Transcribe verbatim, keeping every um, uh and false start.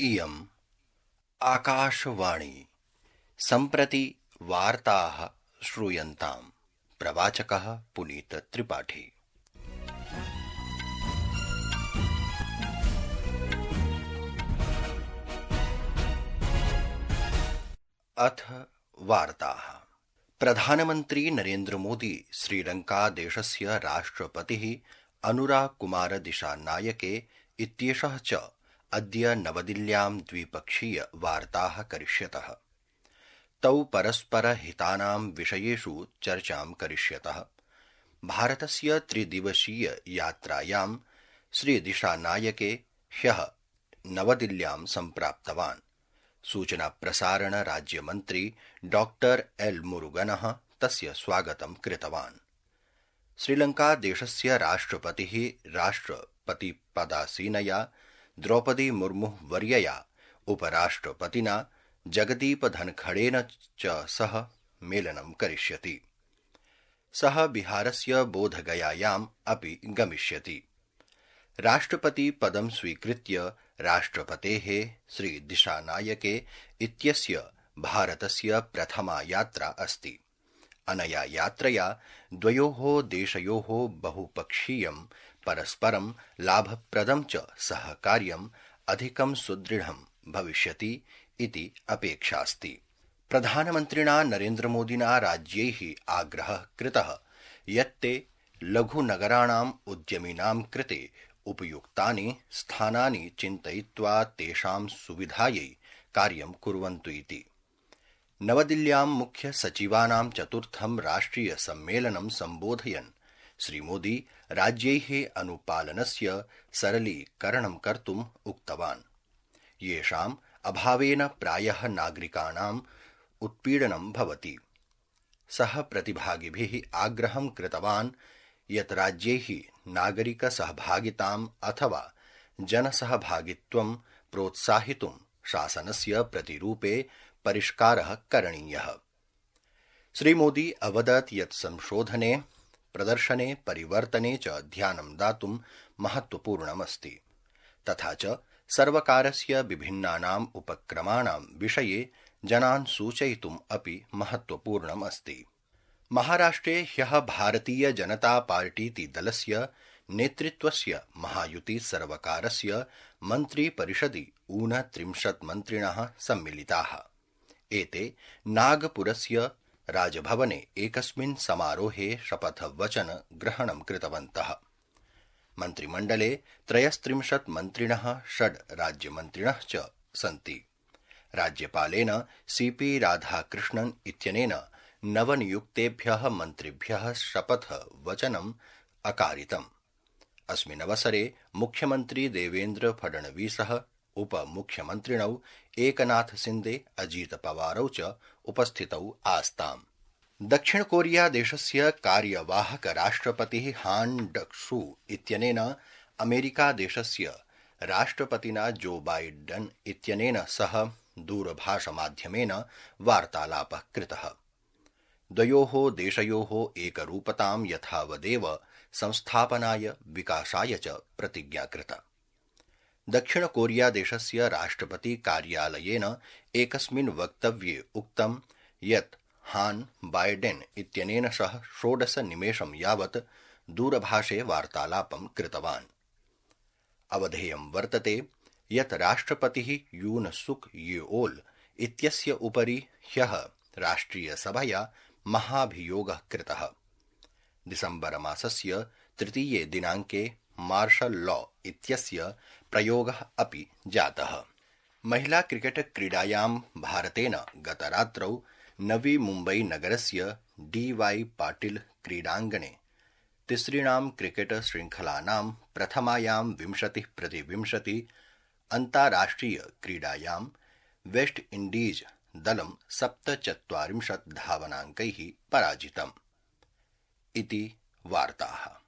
इयम् आकाशवाणी सम्प्रति वार्ताः श्रूयन्ताम्। प्रवाचकः पुनीत त्रिपाठी। अथ वार्ताः। प्रधानमन्त्री नरेन्द्र मोदी श्रीलंका देशस्य राष्ट्रपतिः अनुराग कुमार दिशानायके इत्येषः च अद्य नवदिल्ल्यां द्विपक्षीय वार्ताः करिष्यतः। तौ परस्परहितानां विषयेषु चर्चां करिष्यतः। भारतस्य त्रिदिवसीय यात्रायां श्रीदिशानायके ह्यः नवदिल्ल्यां सम्प्राप्तवान्। सूचना प्रसारण राज्यमन्त्री डॉक्टर एल मुरुगनः तस्य स्वागतं कृतवान्। श्रीलंका देशस्य राष्ट्रपतिः राष्ट्रपतिपदासीनया द्रौपदी मुर्मु वर्यया उपराष्ट्रपतिना जगदीप धनखड़ेन च सह मेलनं करिष्यति। सः बिहारस्य बोधगयायाम् अपि गमिष्यति। राष्ट्रपति पदं स्वीकृत्य राष्ट्रपतेः श्री दिशानायके इत्यस्य भारतस्य प्रथमा यात्रा अस्ति। अनया यात्रया द्वयोः देशयोः बहुपक्षीयं परस्परं लाभप्रदं च सहकार्यम् अधिकं सुदृढं भविष्यति इति अपेक्षास्ति। प्रधानमन्त्रिणा नरेन्द्रमोदिना राज्यैः आग्रहः कृतः यत् ते लघुनगराणाम् उद्यमिनां कृते उपयुक्तानि स्थानानि चिन्तयित्वा तेषां सुविधायै कार्यं कुर्वन्तु इति। नवदिल्ल्यां मुख्य सचिवानां चतुर्थं राष्ट्रिय सम्मेलनं सम्बोधयन् श्रीमोदी राज्यैः अनुपालनस्य सरलीकरणं कर्तुम् उक्तवान्। येषाम् अभावेन प्रायः नागरिकाणाम् उत्पीडनं भवति। सः प्रतिभागिभिः आग्रहं कृतवान् यत् राज्यैः नागरिकसहभागिताम् अथवा जनसहभागित्वं प्रोत्साहितुं शासनस्य प्रतिरूपे परिष्कारः करणीयः। श्रीमोदी अवदत् यत् संशोधने प्रदर्शने परिवर्तने च ध्यानं दातुं महत्त्वपूर्णमस्ति। तथा च सर्वकारस्य विभिन्नानाम् उपक्रमाणां विषये जनान् सूचयितुम् अपि महत्त्वपूर्णम् अस्ति। महाराष्ट्रे ह्यः भारतीय जनता पार्टीति दलस्य नेतृत्वस्य महायुति सर्वकारस्य मन्त्रिपरिषदि ऊनत्रिंशत् मन्त्रिणः सम्मिलिताः। एते नागपुरस्य राजभवने एकस्मिन् समारोहे शपथवचन ग्रहणं कृतवन्तः। मन्त्रिमण्डले त्रयस्त्रिंशत् मन्त्रिणः षड् राज्यमन्त्रिणः च सन्ति। राज्यपालेन सीपी राधाकृष्णन् इत्यनेन नवनियुक्तेभ्यः मन्त्रिभ्यः शपथवचनम् अकारितम्। अस्मिन्नवसरे मुख्यमन्त्री देवेन्द्र फडणवीसः उपमुख्यमन्त्रिणौ एकनाथ सिन्दे अजीत पवारौ च उपस्थितौ आस्ताम्। दक्षिण कोरिया देशस्य कार्यवाहक राष्ट्रपतिः हान डक्सू इत्यनेन अमेरिका देशस्य राष्ट्रपतिना जो बाइडन इत्यनेन सह दूरभाषमाध्यमेन वार्तालापः कृतः। द्वयोः देशयोः एकरूपतां यथावदेव संस्थापनाय विकासाय च प्रतिज्ञा कृता। दक्षिण कोरिया देशस्य राष्ट्रपति कार्यालयेन एकस्मिन् वक्तव्ये उक्तं यत् हान बाइडेन इत्यनेन सह षोडश निमेषं यावत् दूरभाषे वार्तालापं कृतवान्। अवधेयं वर्तते यत् राष्ट्रपतिः यून सुक येओल इत्यस्य उपरि ह्यः राष्ट्रियसभया महाभियोगः कृतः। दिसम्बर मासस्य तृतीये दिनाङ्के मार्शल लॉ इत्यस्य प्रयोगः अपि जातः। महिला क्रिकेट क्रीडायां भारतेन गतरात्रौ नवी मुम्बई नगरस्य डी वाई पाटिल क्रीडाङ्गणे तिसृणां क्रिकेट श्रृङ्खलानां प्रथमायां विंशतिः प्रति विंशति अन्ताराष्ट्रिय क्रीडायां वेस्ट इण्डीज दलं सप्तचत्वारिंशत् धावनाङ्कैः पराजितम्। इति वार्ताः।